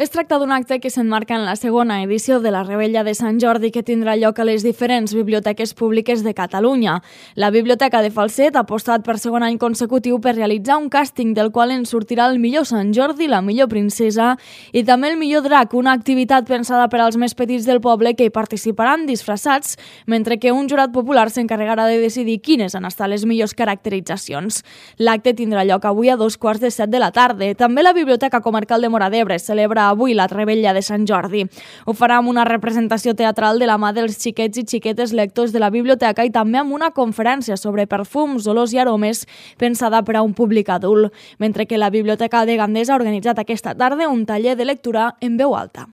Es tracta d'un acte que s'emmarca en la segona edició de la Revetlla de Sant Jordi que tindrà lloc a les diferents biblioteques públiques de Catalunya. La Biblioteca de Falset ha apostat per segon any consecutiu per realitzar un càsting del qual en sortirà el millor Sant Jordi, la millor princesa i també el millor drac, una activitat pensada per als més petits del poble que hi participaran disfressats, mentre que un jurat popular s'encarregarà de decidir quines han estat les millors caracteritzacions. L'acte tindrà lloc avui a 2:15 de la tarda. També la Biblioteca Comarcal de Móra d'Ebre celebra avui la Revetlla de Sant Jordi. Ho farà amb una representació teatral de la mà dels xiquets i xiquetes lectors de la biblioteca i també amb una conferència sobre perfums, olors i aromes pensada per a un públic adult, mentre que la Biblioteca de Gandesa ha organitzat aquesta tarda un taller de lectura en veu alta.